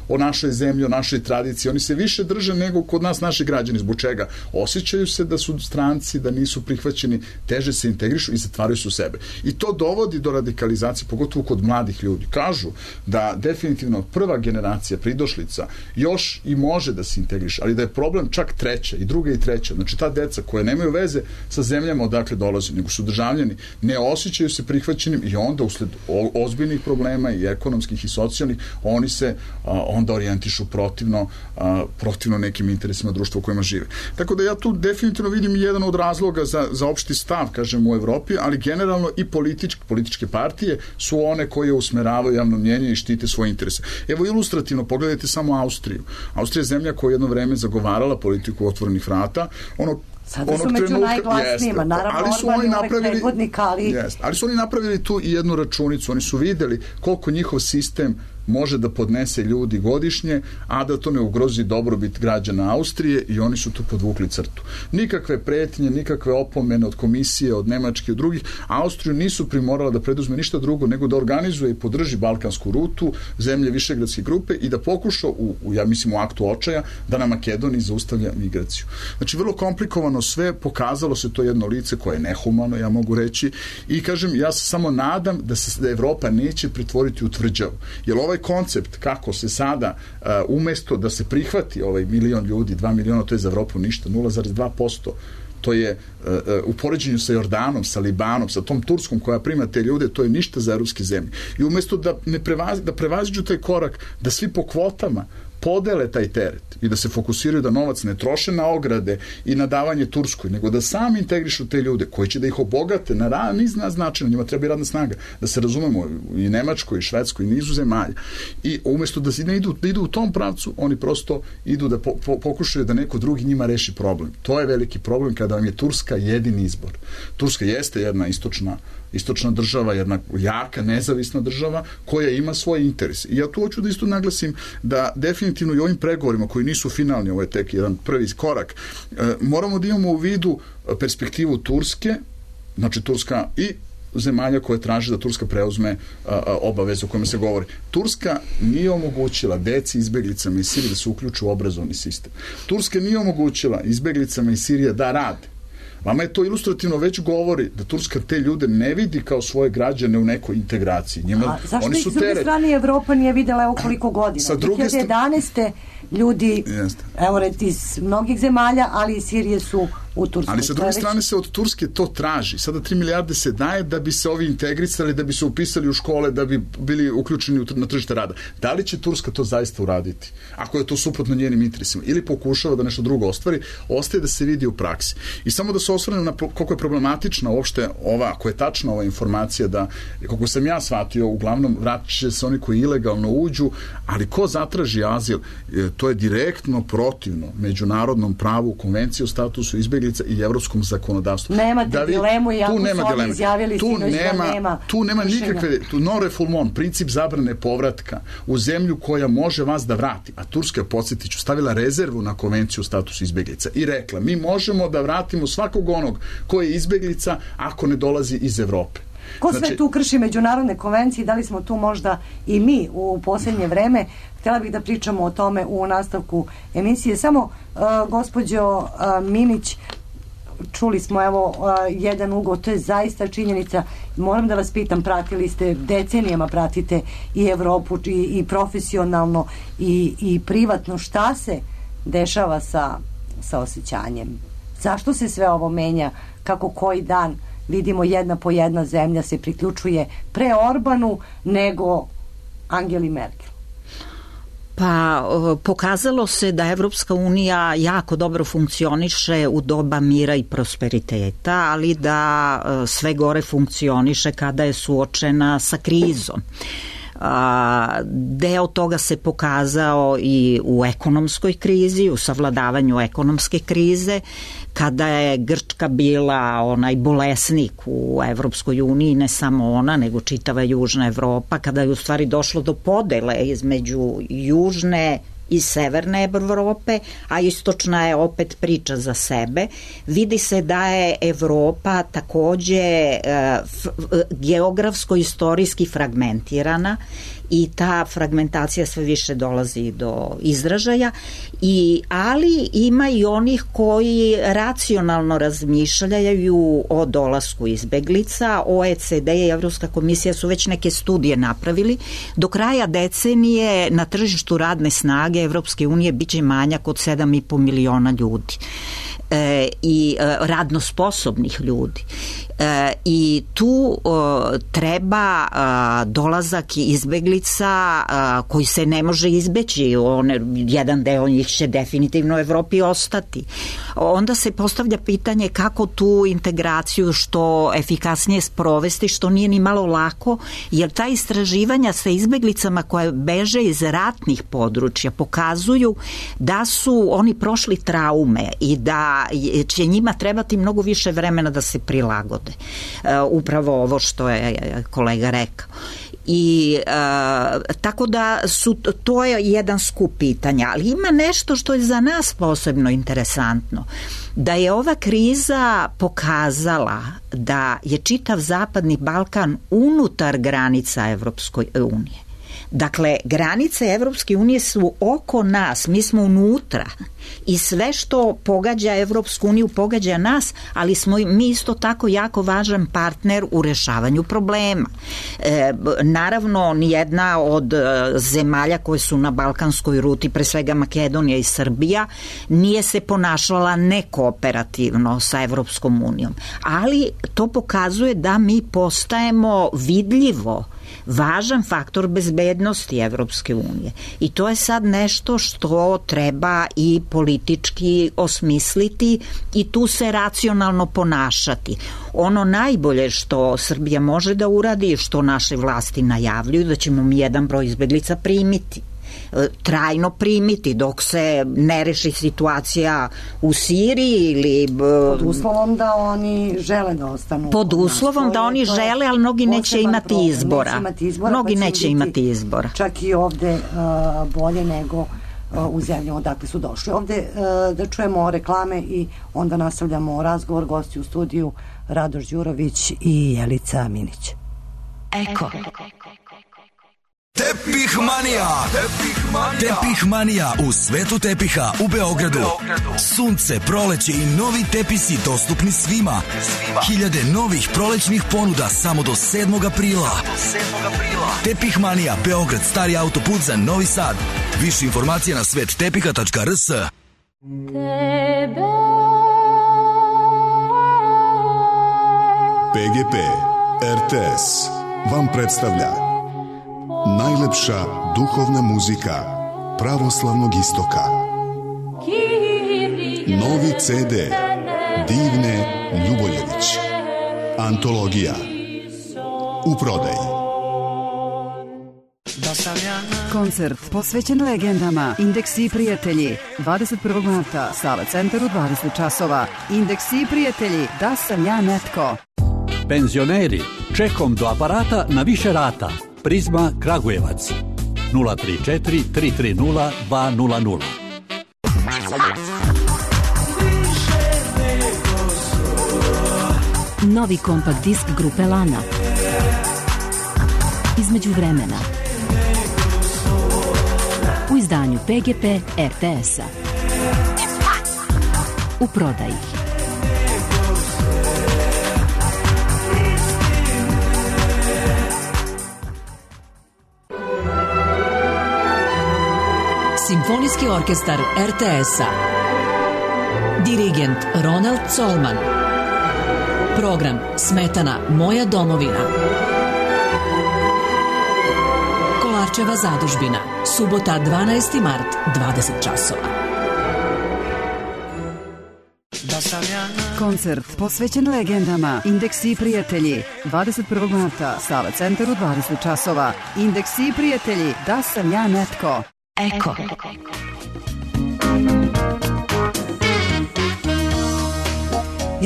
o našoj zemlji, o našoj tradiciji. Oni se više drže nego kod nas naši građani. Zbog čega? Osjećaju se da su stranci, da nisu prihvaćeni, teže se integrišu i zatvaraju se u sebe. I to dovodi do radikalizacije, pogotovo kod mladih ljudi. Kažu da definitivno prva generacija pridošlica još i može da se integriše, ali da je problem čak treća i druga i treća. Znači ta deca koje nemaju veze sa zemljama odakle dolaze, nego su državljani, ne osjećaju se prihvaćenim i onda usled ozbiljnih problema i ekonomskih i socijalnih, oni se a, onda orijentišu protivno, a, protivno nekim interesima društva u kojima žive. Tako da ja tu definitivno vidim jedan od razloga za, za opšti stav, kažem, u Evropi, ali generalno i političke, političke partije su one koje usmeravaju javno mnjenje i štite svoje interese. Evo ilustrativno, pogledajte samo Austriju. Austrija je zemlja koja je jedno vreme zagovarala politiku otvorenih vrata, ono Sada su među najglasnijima, naravno ali su oni napravili, ali... Jest, ali su oni napravili tu i jednu računicu, oni su videli koliko njihov sistem može da podnese ljudi godišnje, a da to ne ugrozi dobrobit građana Austrije i oni su tu podvukli crtu. Nikakve pretnje, nikakve opomene od komisije, od Nemačke, od drugih, Austriju nisu primorala da preduzme ništa drugo nego da organizuje i podrži balkansku rutu, zemlje Višegradske grupe i da pokuša, u, u, ja mislim u aktu očaja, da na Makedoniji zaustavlja migraciju. Znači, vrlo komplikovano sve, pokazalo se to jedno lice koje je nehumano, ja mogu reći, i kažem, ja se samo nadam da se da Evropa neće pretvoriti u tvrđavu. Jer ovaj koncept kako se sada uh, umesto da se prihvati ovaj milion ljudi, dva miliona, to je za Evropu ništa, nula zarez dva posto, to je uh, uh, u poređenju sa Jordanom, sa Libanom, sa tom Turskom koja prima te ljude, to je ništa za evropske zemlje. I umesto da ne prevazi, da prevaziđu taj korak, da svi po kvotama podele taj teret i da se fokusiraju da novac ne troše na ograde i na davanje Turskoj, nego da sami integrišu te ljude koji će da ih obogate na niz načina, njima treba i radna snaga, da se razumemo i Nemačkoj, i Švedskoj, i nizu zemalja. I umesto da ne idu, da idu u tom pravcu, oni prosto idu da po, po, pokušaju da neko drugi njima reši problem. To je veliki problem kada vam je Turska jedini izbor. Turska jeste jedna istočna istočna država, jedna jaka, nezavisna država koja ima svoje interese. I ja tu hoću da isto naglasim da definitivno i ovim pregovorima koji nisu finalni, ovo je tek jedan prvi korak, moramo da imamo u vidu perspektivu Turske, znači Turska i zemalja koje traže da Turska preuzme a, a, obaveze o kojima se govori. Turska nije omogućila deci izbeglicama iz Sirije da se uključu u obrazovni sistem. Turska nije omogućila izbeglicama iz Sirije da rade. Vama je to ilustrativno već govori da Turska te ljude ne vidi kao svoje građane u nekoj integraciji. Njima, A zašto oni ih su s druge teret. strane Evropa nije videla evo koliko godina? Sa druge dve hiljade jedanaeste ljudi, Jeste. evo reti iz mnogih zemalja, ali iz Sirije su u Turskoj. Ali sa To je druge već- strane se od Turske to traži. Sada tri milijarde se daje da bi se ovi integrisali, da bi se upisali u škole, da bi bili uključeni u tr- na tržište rada. Da li će Turska to zaista uraditi? Ako je to suprotno njenim interesima. Ili pokušava da nešto drugo ostvari, ostaje da se vidi u praksi. I samo da se osvrnem na pro- koliko je problematična uopšte ova, ako je tačna ova informacija da, koliko sam ja shvatio, uglavnom vratit će se oni koji ilegalno uđu, ali ko zatraži azil, e, to je direktno protivno međunarodnom pravu, konvenciji o statusu izbjeglica i evropskom zakonodavstvu. Nemate Da vi- dilemu, iako tu su nema oni dileme. izjavili tu sinoć da nema, nema tu nema kršenja. nikakve, tu non refoulement, princip zabrane povratka u zemlju koja može vas da vrati. A Turska, podsjetit ću, stavila rezervu na konvenciju o statusu izbjeglica i rekla, mi možemo da vratimo svakog onog koji je izbjeglica ako ne dolazi iz Evrope. Ko sve Znači- tu krši međunarodne konvencije, da li smo tu možda i mi u posljednje vreme? Htjela bih da pričamo o tome u nastavku emisije. Samo, uh, gospođo uh, Minić, čuli smo evo uh, jedan ugao, to je zaista činjenica. Moram da vas pitam, pratili ste, decenijama pratite i Evropu i, i profesionalno i, i privatno, šta se dešava sa, sa osjećanjem? Zašto se sve ovo menja? Kako koji dan vidimo jedna po jedna zemlja se priključuje pre Orbanu nego Angeli Merkel? Pa o, pokazalo se da Evropska unija jako dobro funkcioniše u doba mira i prosperiteta, ali da e, sve gore funkcioniše kada je suočena sa krizom. A, deo toga se pokazao i u ekonomskoj krizi, u savladavanju ekonomske krize, kada je Grčka bila onaj bolesnik u Evropskoj uniji, ne samo ona, nego čitava Južna Evropa, kada je u stvari došlo do podele između Južne i Severne Evrope, a istočna je opet priča za sebe. Vidi se da je Evropa takođe e, f, geografsko-istorijski fragmentirana i ta fragmentacija sve više dolazi do izražaja, i, ali ima i onih koji racionalno razmišljaju o dolasku izbeglica. O E C D i Evropska komisija su već neke studije napravili. Do kraja decenije na tržištu radne snage Evropske unije biće manjak od sedam i po miliona ljudi. E, i e, radno sposobnih ljudi. E, i tu o, treba a, dolazak izbeglica a, koji se ne može izbeći. One, jedan deo njih će definitivno u Evropi ostati. Onda se postavlja pitanje kako tu integraciju što efikasnije sprovesti, što nije ni malo lako, jer ta istraživanja sa izbeglicama koje beže iz ratnih područja pokazuju da su oni prošli traume i da će njima trebati mnogo više vremena da se prilagode. Uh, upravo ovo što je kolega rekao. I uh, tako da su, to je jedan skup pitanja, ali ima nešto što je za nas posebno interesantno, da je ova kriza pokazala da je čitav Zapadni Balkan unutar granica Evropske unije. Dakle, granice Evropske unije su oko nas, mi smo unutra i sve što pogađa Evropsku uniju pogađa nas, ali smo mi isto tako jako važan partner u rešavanju problema. E, naravno, nijedna od zemalja koje su na balkanskoj ruti, pre svega Makedonija i Srbija, nije se ponašala nekooperativno sa Evropskom unijom, ali to pokazuje da mi postajemo vidljivo važan faktor bezbednosti Evropske unije. I to je sad nešto što treba i politički osmisliti i tu se racionalno ponašati. Ono najbolje što Srbija može da uradi, što naše vlasti najavljuju, da ćemo mi jedan broj izbeglica primiti. Trajno primiti dok se ne reši situacija u Siriji ili pod uslovom da oni žele da ostanu. Pod uslovom da oni žele, ali mnogi neće imati problem. izbora. Neće imati izbora. Mnogi pa neće imati izbora. Čak i ovde uh, bolje nego uh, u zemljama odakle su došli. Ovde uh, da čujemo reklame i onda nastavljamo razgovor. Gosti u studiju Radoš Đurović i Jelica Minić. Eko. Tepih Manija. Tepih Manija. Tepih Manija u svetu tepiha u Beogradu. Sunce, proleće i novi tepisi dostupni svima. Hiljade novih prolećnih ponuda samo do sedmog aprila. Tepih Manija, Beograd, stari autoput za Novi Sad. Više informacija na svet tepiha tačka r s. P G P R T S vam predstavlja najlepša duhovna muzika pravoslavnog istoka. Novi C D Divne Ljuboljević. Antologija. U prodaji. Koncert posvećen legendama Indeksi i prijatelji dvadeset prvog marta, Sava centar u dvadeset časova. Indeksi i prijatelji, da sam ja netko. Penzioneri, čekom do aparata na više rata. Prizma Kragujevac nula tri četiri tri tri nula dva nula nula. Novi kompakt disk grupe Lana. Između vremena. U izdanju P G P R T S-a. U prodaji. Simfonijski orkestar R T S-a. Dirigent Ronald Colman. Program Smetana Moja domovina. Kolarčeva zadužbina. Subota dvanaesti mart, dvadeset časova. Koncert posvećen legendama Indeksi i prijatelji dvadeset prvog marta, Sava centar u dvadeset časova. Indeksi i prijatelji, da sam ja netko. Eko.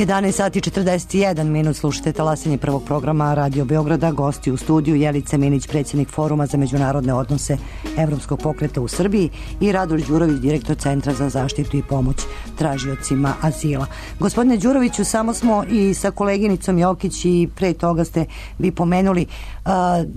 jedanaest sati četrdeset jedan minut, slušate talasanje prvog programa Radio Beograda. Gosti u studiju Jelica Minić, predsjednik Foruma za međunarodne odnose Evropskog pokreta u Srbiji, i Radoš Đurović, direktor Centra za zaštitu i pomoć tražiocima azila. Gospodine Đuroviću, samo smo i sa koleginicom Jokić i pre toga ste vi pomenuli uh,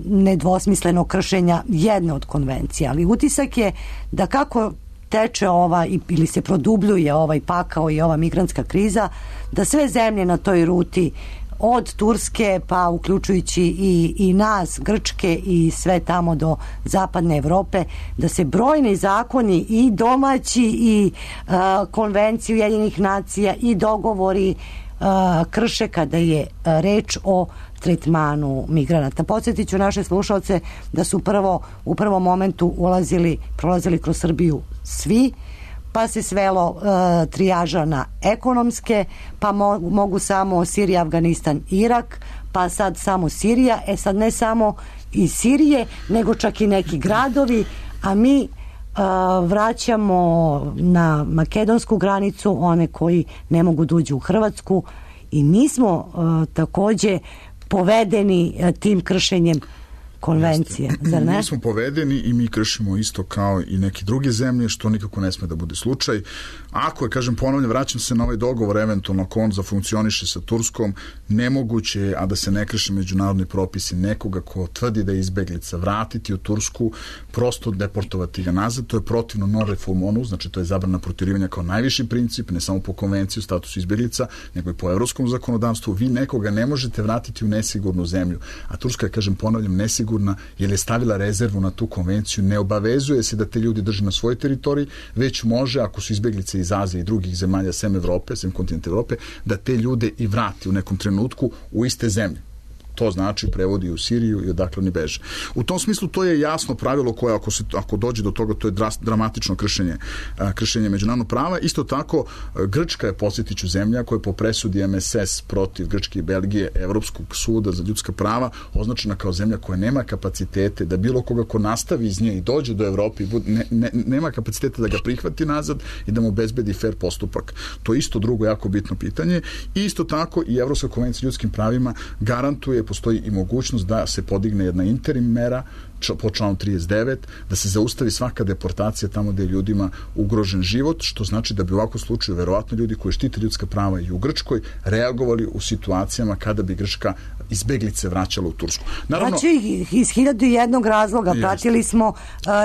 nedvosmisleno kršenja jedne od konvencija, ali utisak je da kako teče ova ili se produbljuje ovaj pakao i ova migrantska kriza, da sve zemlje na toj ruti od Turske pa uključujući i, i nas, Grčke i sve tamo do zapadne Evrope, da se brojni zakoni i domaći i uh, konvencije Ujedinjenih nacija i dogovori uh, krše kada je uh, reč o tretmanu migranata. Podsjetit ću naše slušalce da su prvo u prvom momentu ulazili, prolazili kroz Srbiju svi, pa se svelo uh, trijaža na ekonomske, pa mo mogu samo Sirija, Afganistan, Irak, pa sad samo Sirija. E sad ne samo iz Sirije, nego čak i neki gradovi, a mi uh, vraćamo na makedonsku granicu one koji ne mogu da uđu u Hrvatsku, i mi smo uh, takođe povedeni uh, tim kršenjem konvencije, zar ne? Mi smo povedeni i mi kršimo isto kao i neke druge zemlje, što nikako ne sme da bude slučaj. Ako je, kažem, ponavljam, vraćam se na ovaj dogovor, eventualno ako on zafunkcioniše sa Turskom, nemoguće je, a da se ne krše međunarodni propisi, nekoga ko tvrdi da je izbeglica vratiti u Tursku, prosto deportovati ga nazad. To je protivno non refoulemonu, znači to je zabrana protjerivanja kao najviši princip, ne samo po konvenciji o statusu izbeglica, nego i po evropskom zakonodavstvu. Vi nekoga ne možete vratiti u nesigurnu zemlju, a Turska je, kažem, ponavljam, nesigurna jer je stavila rezervu na tu konvenciju, ne obavezuje se da te ljudi drže na svojoj teritoriji, već može, ako su izbeglice iz Azije i drugih zemalja sem Evrope, sem kontinenta Evrope, da te ljude i vrati u nekom trenutku u iste zemlje. To znači prevodi u Siriju i odakle oni beže. U tom smislu to je jasno pravilo koje ako, se, ako dođe do toga, to je dras, dramatično kršenje, a, kršenje međunarodnog prava. Isto tako Grčka je, posjetiću, zemlja koja je po presudi M S S protiv Grčke i Belgije Evropskog suda za ljudska prava označena kao zemlja koja nema kapacitete da bilo koga ko nastavi iz nje i dođe do Evrope i ne, ne, nema kapacitete da ga prihvati nazad i da mu obezbedi fair postupak. To je isto drugo jako bitno pitanje. I isto tako i Evropska konvencija o ljudskim pravima garantuje postoji i mogućnost da se podigne jedna interim mera po članu trideset devet, da se zaustavi svaka deportacija tamo gde je ljudima ugrožen život, što znači da bi u ovakvom slučaju verovatno ljudi koji štite ljudska prava i u Grčkoj reagovali u situacijama kada bi Grčka izbeglice vraćala u Tursku. Naravno, znači, iz hiljadu i jednog razloga jest. Pratili smo uh,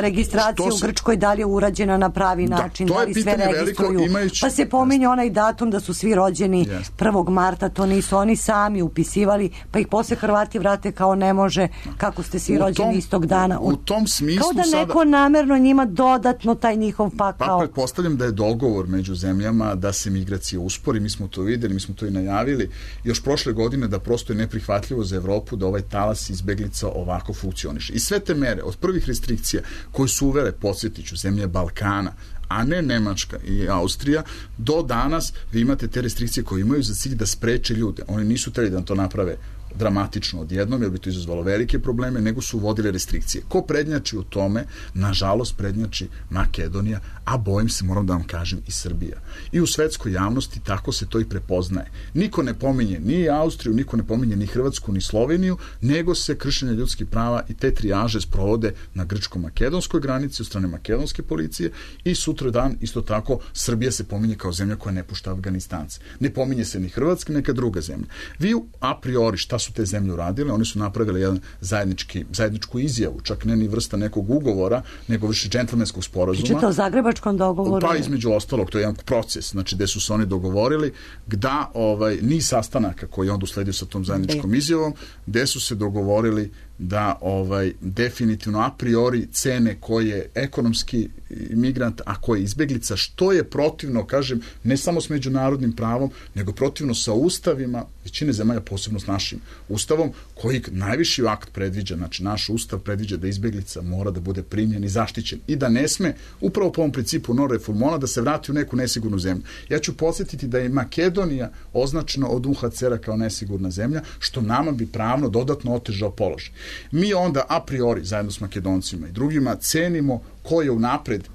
registraciju se, u Grčkoj, da li je urađena na pravi da, način, da li sve registruju. Veliko, imajući, pa se pominje jest. Onaj datum da su svi rođeni jest. prvog marta, to nisu oni sami upisivali, pa ih posle Hrvati vrate kao ne može, kako ste svi u rođeni tom, istog dana. U, u tom smislu kao da neko sada, namerno njima dodatno taj njihov pakao. Pa pretpostavljam da je dogovor među zemljama da se migracija uspori, mi smo to videli, mi smo to i najavili još prošle godine, da prosto je neprihvatljivo za Evropu da ovaj talas izbeglica ovako funkcioniše. I sve te mere, od prvih restrikcija koje su uvele, podsjetiću, zemlje Balkana, a ne Nemačka i Austrija, do danas vi imate te restrikcije koje imaju za cilj da spreče ljude. Oni nisu trebali da to naprave dramatično odjednom, jer bi to izazvalo velike probleme, nego su uvodile restrikcije. Ko prednjači u tome? Nažalost, prednjači Makedonija, a bojim se, moram da vam kažem, i Srbija. I u svetskoj javnosti tako se to i prepoznaje. Niko ne pominje ni Austriju, niko ne pominje ni Hrvatsku, ni Sloveniju, nego se kršenje ljudskih prava i te trijaže sprovode na grčko-makedonskoj granici od strane makedonske policije i sutra dan isto tako Srbija se pominje kao zemlja koja ne pušta Afganistance. Ne pominje se ni Hrvatska, neka druga zemlja. Vi a priori šta su te zemlje uradile? Oni su napravili jedan zajednički, zajedničku izjavu, čak ne ni vrsta nekog ugovora, nego više džentlmenskog sporazuma. Pričate o zagrebačkom dogovoru? Pa između ostalog, to je jedan proces, znači gde su se oni dogovorili da ovaj, niz sastanaka koji je onda usledio sa tom zajedničkom izjavom, gde su se dogovorili da ovaj definitivno a priori cene ko je ekonomski migrant, a ko je izbeglica, što je protivno, kažem, ne samo s međunarodnim pravom, nego protivno sa ustavima većine zemalja, posebno s našim ustavom, koji najviši akt predviđa, znači naš ustav predviđa da izbeglica mora da bude primljen i zaštićen i da ne sme, upravo po ovom principu non refoulement, da se vrati u neku nesigurnu zemlju. Ja ću podsjetiti da je Makedonija označena od U N H C R-a kao nesigurna zemlja, što nama bi pravno dodatno otežao položaj. Mi onda a priori, zajedno s Makedoncima i drugima, cenimo ko je unapred,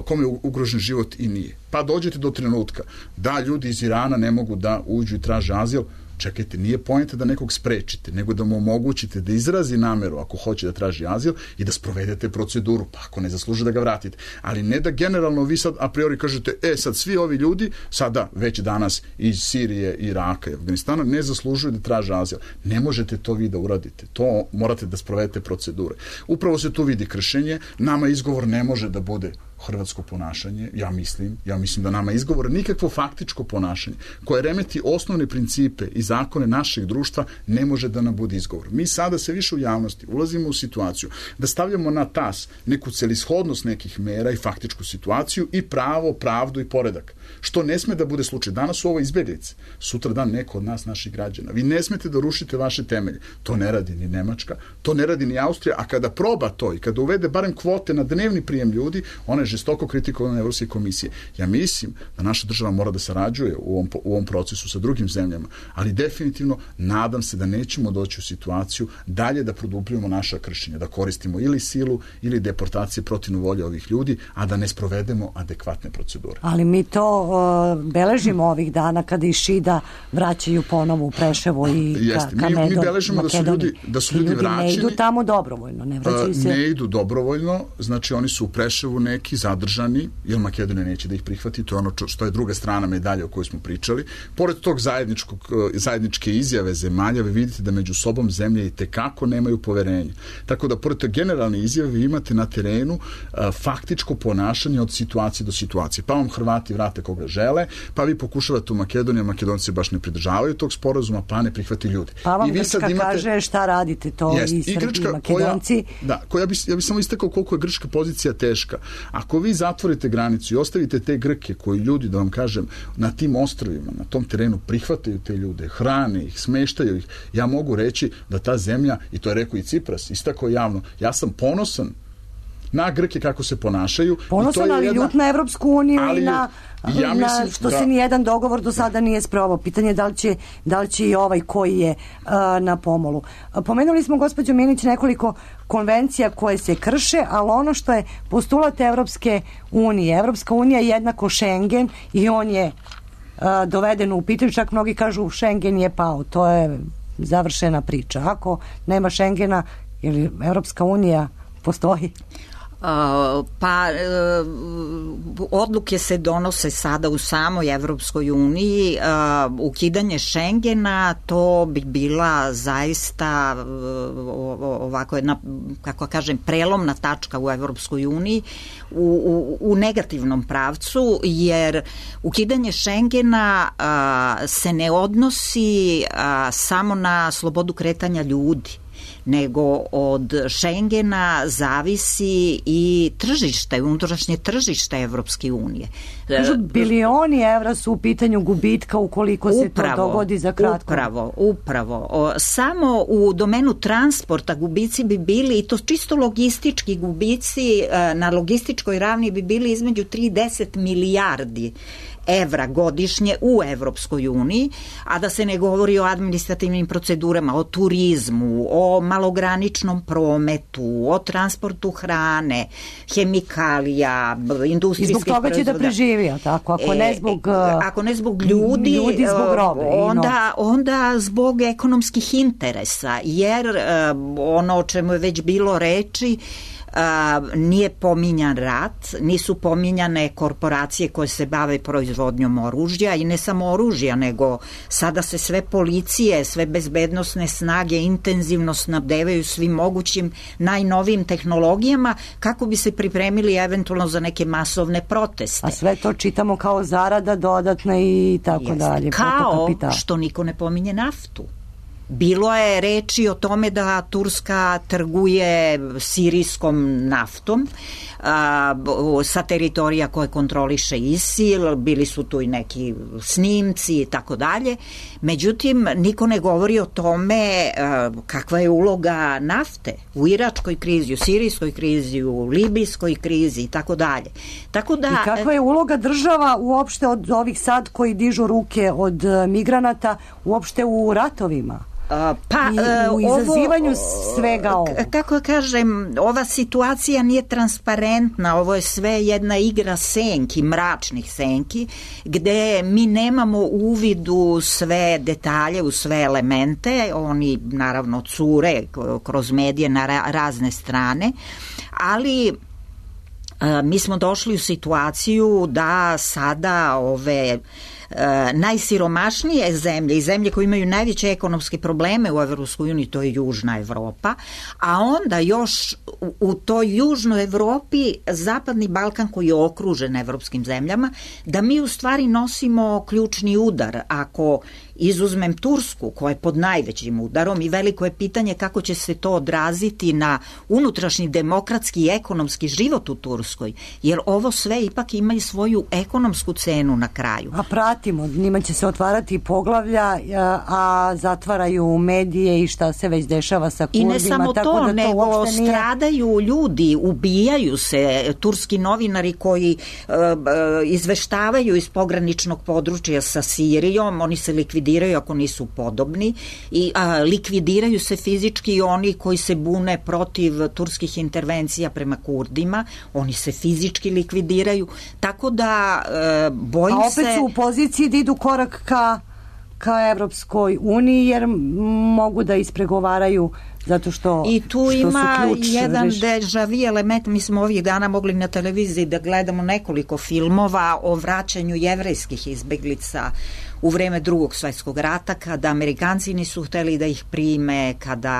kome je ugrožen život i nije. Pa dođete do trenutka da ljudi iz Irana ne mogu da uđu i traže azil. Čekajte, nije poenta da nekog sprečite, nego da mu omogućite da izrazi nameru ako hoće da traži azil i da sprovedete proceduru, pa ako ne zasluže da ga vratite. Ali ne da generalno vi sad a priori kažete, e sad svi ovi ljudi, sada već danas iz Sirije, Iraka i Afganistana ne zaslužuju da traže azil. Ne možete to vi da uradite. To morate da sprovedete procedure. Upravo se tu vidi kršenje. Nama izgovor ne može da bude hrvatsko ponašanje, ja mislim, ja mislim da nama izgovor nikakvo faktičko ponašanje koje remeti osnovne principe i zakone našeg društva ne može da nam bude izgovor. Mi sada se više u javnosti ulazimo u situaciju da stavljamo na tas neku celishodnost nekih mera i faktičku situaciju i pravo, pravdu i poredak. Što ne sme da bude slučaj. Danas su ovo izbeglice, sutra dan neko od nas, naših građana. Vi ne smete da rušite vaše temelje. To ne radi ni Nemačka, to ne radi ni Austrija, a kada proba to i kada uvede barem kvote na dnevni prijem ljudi, ona je žestoko kritikovana Evropske komisije. Ja mislim da naša država mora da sarađuje u ovom, u ovom procesu sa drugim zemljama, ali definitivno nadam se da nećemo doći u situaciju dalje da produbljujemo naša kršenja, da koristimo ili silu ili deportacije protivno volje ovih ljudi, a da ne sprovedemo adekvatne procedure. Ali mi to uh, beležimo ovih dana kada i Šida vraćaju ponovo u Preševo i ka, ka mi, Medon, mi beležimo da su ljudi, da su ljudi, ljudi vraćeni. Ne idu tamo dobrovoljno, ne vraćaju se. Ne idu dobrovoljno, znači oni su u Preševu neki zadržani, jer Makedonija neće da ih prihvati, to je ono što je druga strana medalje o kojoj smo pričali. Pored tog zajedničkog, zajedničke izjave zemalja, vi vidite da među sobom zemlje i tekako nemaju poverenje. Tako da, pored te generalne izjave, vi imate na terenu a, faktičko ponašanje od situacije do situacije. Pa vam Hrvati vrate koga žele, pa vi pokušavate u Makedoniji, Makedonci baš ne pridržavaju tog sporazuma, pa ne prihvati ljudi. Pa vam I vi Grčka sad imate, kaže šta radite to jest, i Srbi i Makedonci. Koja, da, koja bi, ja bih samo istakao koliko je grčka pozicija teška. Ako vi zatvorite granicu i ostavite te Grke koji ljudi, da vam kažem, na tim ostrvima, na tom terenu prihvataju te ljude, hrane ih, smeštaju ih, ja mogu reći da ta zemlja, i to je rekao i Cipras, istakao javno, ja sam ponosan na Grke kako se ponašaju. Ponosan, ali jedna, ljut na Evropsku uniju ali, i na, ja na što da, se nijedan dogovor do sada nije sprovao. Pitanje je da li će, da li će i ovaj koji je uh, na pomolu. Pomenuli smo, gospođo Minić, nekoliko konvencija koje se krše, ali ono što je postulat Evropske unije. Evropska unija je jednako Schengen i on je uh, doveden u pitanju, čak mnogi kažu Schengen je pao. To je završena priča. Ako nema Schengena, ili Evropska unija postoji? Uh, pa uh, odluke se donose sada u samoj Evropskoj uniji. Uh, ukidanje Schengena, to bi bila zaista uh, ovako jedna, kako kažem, prelomna tačka u Evropskoj uniji u, u, u negativnom pravcu, jer ukidanje Schengena uh, se ne odnosi uh, samo na slobodu kretanja ljudi, nego od Schengena zavisi i tržište, unutrašnje tržište Evropske unije. Kažu, bilioni evra su u pitanju gubitka ukoliko se upravo, to dogodi za kratko. Upravo, upravo. O, samo u domenu transporta gubici bi bili, i to čisto logistički gubici, na logističkoj ravni bi bili između tri i deset milijardi evra godišnje u Evropskoj uniji, a da se ne govori o administrativnim procedurama, o turizmu, o malograničnom prometu, o transportu hrane, hemikalija, industrijskih proizvoda. I zbog toga će da preživi, tako? Ako ne zbog, e, ako ne zbog ljudi, ljudi zbog robe, onda, onda zbog ekonomskih interesa, jer ono o čemu je već bilo reči, Uh, nije pominjan rat, nisu pominjane korporacije koje se bave proizvodnjom oružja, i ne samo oružja, nego sada se sve policije, sve bezbednosne snage intenzivno snabdevaju svim mogućim najnovijim tehnologijama kako bi se pripremili eventualno za neke masovne proteste. A sve to čitamo kao zarada dodatna i tako Jeste. dalje. Kao što niko ne pominje naftu. Bilo je reči o tome da Turska trguje sirijskom naftom a, sa teritorija koje kontroliše ISIL, bili su tu i neki snimci i tako dalje. Međutim, niko ne govori o tome a, kakva je uloga nafte u iračkoj krizi, u sirijskoj krizi, u libijskoj krizi i tako dalje. Tako da, I kakva je uloga država uopšte od ovih sad koji dižu ruke od migranata uopšte u ratovima? Pa, I u izazivanju ovo, svega ovo. Kako kažem, ova situacija nije transparentna, ovo je sve jedna igra senki, mračnih senki, gde mi nemamo uvid u sve detalje, u sve elemente, oni naravno cure kroz medije na razne strane, ali mi smo došli u situaciju da sada ove najsiromašnije zemlje i zemlje koje imaju najveće ekonomske probleme u Evropskoj uniji, to je Južna Evropa, a onda još u, u toj Južnoj Evropi Zapadni Balkan koji je okružen evropskim zemljama, da mi u stvari nosimo ključni udar. Ako izuzmem Tursku koja je pod najvećim udarom, i veliko je pitanje kako će se to odraziti na unutrašnji demokratski i ekonomski život u Turskoj, jer ovo sve ipak ima i svoju ekonomsku cenu na kraju. A pratimo, njima će se otvarati poglavlja, a zatvaraju medije i šta se već dešava sa Kurdima. I ne samo tako to, da to nego nije... stradaju ljudi, ubijaju se turski novinari koji uh, izveštavaju iz pograničnog područja sa Sirijom, oni se likvidiraju ako nisu podobni, i a, likvidiraju se fizički oni koji se bune protiv turskih intervencija prema Kurdima, oni se fizički likvidiraju, tako da e, bojim se... A opet se... su u poziciji da idu korak ka, ka Evropskoj uniji, jer mogu da ispregovaraju zato što, I tu što ima su ključ, jedan reš... deja-vu element. Mi smo ovih dana mogli na televiziji da gledamo nekoliko filmova o vraćanju jevrejskih izbeglica u vreme Drugog svjetskog rata, kada Amerikanci nisu hteli da ih prime, kada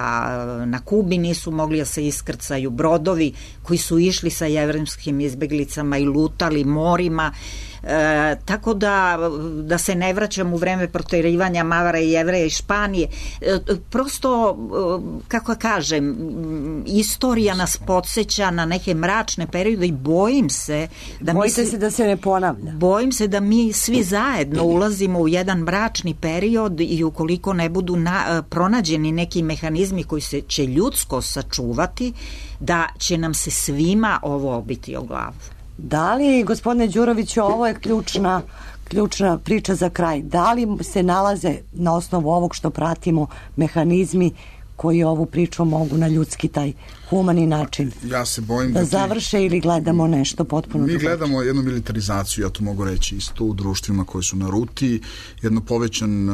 na Kubi nisu mogli da se iskrcaju brodovi koji su išli sa jevrejskim izbeglicama i lutali morima. E, tako da da se ne vraćam u vreme proterivanja Mavara i Jevreja iz Španije. E, prosto, e, kako kažem, istorija nas podsjeća na neke mračne periode i bojim se da Bojite mi se da se ne ponavlja. Bojim se da mi svi zajedno ulazimo u jedan mračni period i ukoliko ne budu na, pronađeni neki mehanizmi koji se će ljudsko sačuvati, da će nam se svima ovo obiti o glavu. Da li, gospodine Đuroviću, ovo je ključna, ključna priča za kraj, da li se nalaze na osnovu ovog što pratimo mehanizmi koji ovu priču mogu na ljudski taj humani način ja se bojim da, da ti... završe ili gledamo nešto potpuno mi drugačije. Gledamo jednu militarizaciju, ja to mogu reći isto u društvima koji su na ruti, jedno povećan,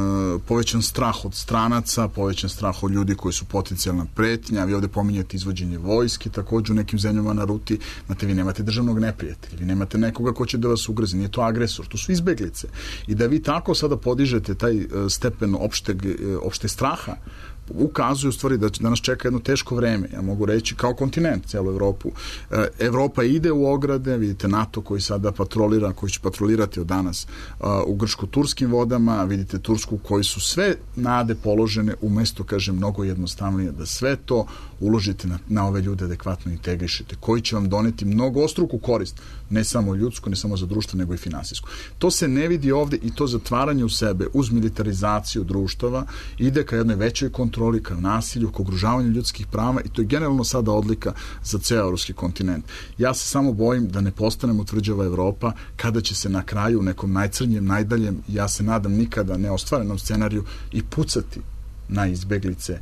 povećan strah od stranaca, povećan strah od ljudi koji su potencijalna pretnja. Vi ovde pominjete izvođenje vojske, takođe u nekim zemljama na ruti. Znate, vi nemate državnog neprijatelja, vi nemate nekoga ko će da vas ugrozi, nije to agresor, to su izbeglice. I da vi tako sada podižete taj stepen opšteg, opšte straha, ukazuje u stvari da, da nas čeka jedno teško vreme, ja mogu reći, kao kontinent, celu Evropu. E, Evropa ide u ograde, vidite NATO koji sada patrolira, koji će patrolirati od danas a, u grčko-turskim vodama, vidite Tursku koji su sve nade položene, umesto, kažem, mnogo jednostavnije, da sve to uložite na, na ove ljude, adekvatno integrišete, koji će vam doneti mnogo ostruku korist, ne samo ljudsku, ne samo za društvo, nego i finansijsku. To se ne vidi ovde i to zatvaranje u sebe uz militarizaciju društava ide ka jednoj većoj kontroli, ka nasilju, ka ugrožavanju ljudskih prava i to je generalno sada odlika za ceo evropski kontinent. Ja se samo bojim da ne postanemo tvrđava Evropa kada će se na kraju u nekom najcrnjem, najdaljem, ja se nadam nikada neostvarenom scenariju i pucati na izbeglice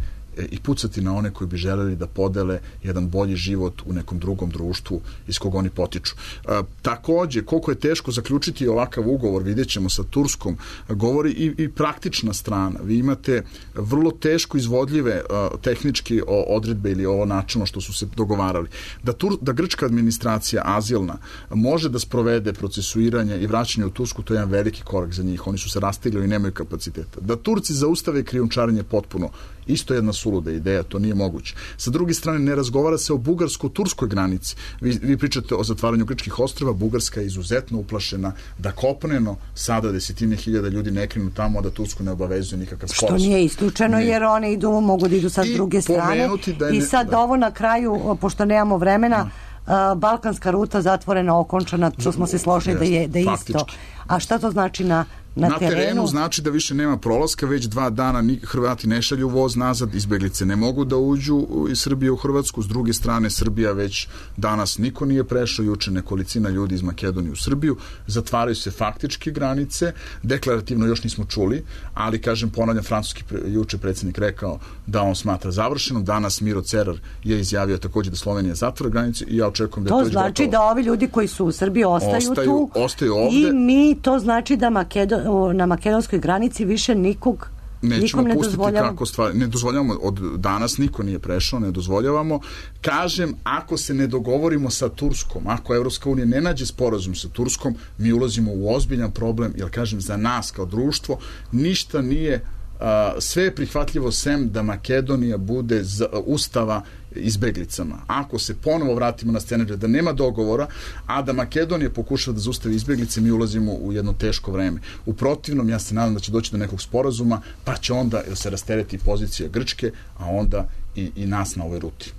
i pucati na one koji bi želeli da podele jedan bolji život u nekom drugom društvu iz kog oni potiču. E, takođe, koliko je teško zaključiti ovakav ugovor, vidjet ćemo sa Turskom, govori i, i praktična strana. Vi imate vrlo teško izvodljive a, tehnički o, odredbe ili ovo načino što su se dogovarali. Da, Tur, da grčka administracija azilna može da sprovede procesuiranje i vraćanje u Tursku, to je jedan veliki korak za njih. Oni su se rastigli i nemaju kapaciteta. Da Turci zaustave krijumčarenje potpuno, isto jedna suluda ideja, to nije moguće. Sa druge strane, ne razgovara se o bugarsko-turskoj granici. Vi, vi pričate o zatvaranju grčkih ostrva, Bugarska je izuzetno uplašena da kopneno sada desetine hiljada ljudi ne krenu tamo, a da Tursku ne obavezuje nikakav sporazum. Što nije isključeno, nije. Jer one idu, mogu da idu sa druge strane. I sad da. Ovo na kraju, pošto nemamo vremena, da. Balkanska ruta zatvorena, okončana, što smo se složili da je, da je isto. A šta to znači na Na, na terenu? terenu znači da više nema prolaska, već dva dana ni, Hrvati ne šalju voz nazad, izbeglice ne mogu da uđu iz Srbije u Hrvatsku, s druge strane Srbija već danas niko nije prešao, juče nekolicina ljudi iz Makedonije u Srbiju, zatvaraju se faktički granice, deklarativno još nismo čuli, ali kažem, ponavljam, francuski juče predsjednik rekao da on smatra završenom, danas Miro Cerar je izjavio takođe da Slovenija zatvara granice i ja očekujem da to je to znači gotovo. Da ovi ljudi koji su u Srbiji ostaju, ostaju tu ostaju ovde. I mi, to znači da Makedon na makedonskoj granici više nikog nećemo ne pustiti dozvoljavamo. Kako stvari, ne dozvoljavamo, od danas niko nije prešao, ne dozvoljavamo. Kažem, ako se ne dogovorimo sa Turskom, ako Evropska unija ne nađe sporazum sa Turskom, mi ulazimo u ozbiljan problem, jer kažem, za nas kao društvo ništa nije, uh, sve je prihvatljivo sem da Makedonija bude z, uh, ustava izbeglicama. Ako se ponovo vratimo na scenariju da nema dogovora, a da Makedonija pokušava da zaustavi izbeglice, mi ulazimo u jedno teško vreme. U protivnom, ja se nadam da će doći do nekog sporazuma, pa će onda se rastereti pozicija Grčke, a onda i, i nas na ovoj ruti.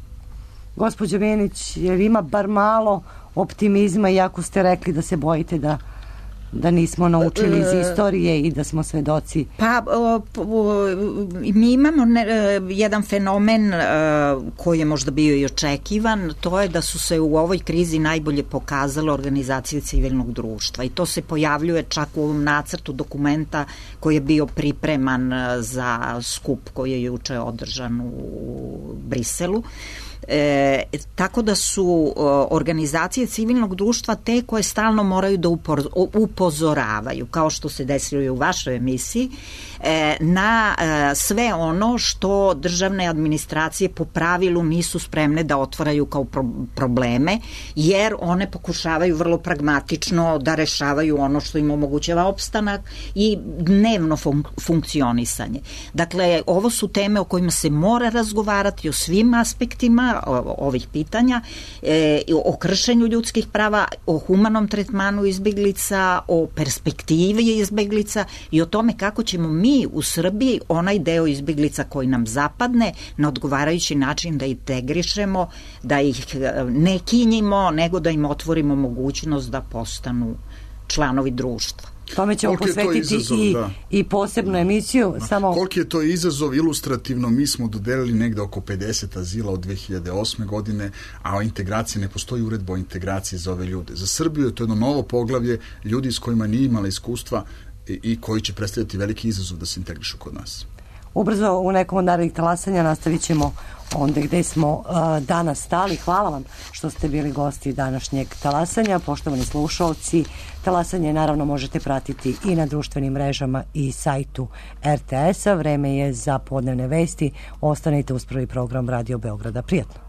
Gospođo Menić, jer ima bar malo optimizma, iako ste rekli da se bojite da da nismo naučili iz istorije i da smo svedoci? Pa, o, o, mi imamo ne, jedan fenomen o, koji je možda bio i očekivan, to je da su se u ovoj krizi najbolje pokazale organizacije civilnog društva i to se pojavljuje čak u ovom nacrtu dokumenta koji je bio pripreman za skup koji je juče održan u Briselu. E, tako da su o, organizacije civilnog društva te koje stalno moraju da upor, upozoravaju, kao što se desilo i u vašoj emisiji, e, na e, sve ono što državne administracije po pravilu nisu spremne da otvaraju kao pro, probleme, jer one pokušavaju vrlo pragmatično da rešavaju ono što im omogućava opstanak i dnevno fun, funkcionisanje. Dakle, ovo su teme o kojima se mora razgovarati o svim aspektima ovih pitanja, e, o kršenju ljudskih prava, o humanom tretmanu izbeglica, o perspektivi izbeglica i o tome kako ćemo mi u Srbiji onaj deo izbeglica koji nam zapadne na odgovarajući način da integrišemo, da ih ne kinjimo, nego da im otvorimo mogućnost da postanu članovi društva. Tome ćemo Koliko posvetiti izazov, i, da. i posebnu emisiju. Da. Samo... Koliki je to izazov ilustrativno, mi smo dodelili negde oko pedeset azila od dve hiljade osme godine, a o integraciji ne postoji uredba o integraciji za ove ljude. Za Srbiju je to jedno novo poglavlje, ljudi s kojima nije imala iskustva i, i koji će predstavljati veliki izazov da se integrišu kod nas. Ubrzo u nekom od narednih talasanja nastavit ćemo onda gde smo uh, danas stali. Hvala vam što ste bili gosti današnjeg talasanja. Poštovani slušalci, talasanje naravno možete pratiti i na društvenim mrežama i sajtu er te es a. Vreme je za podnevne vesti. Ostanite uz prvi program Radio Beograda. Prijatno.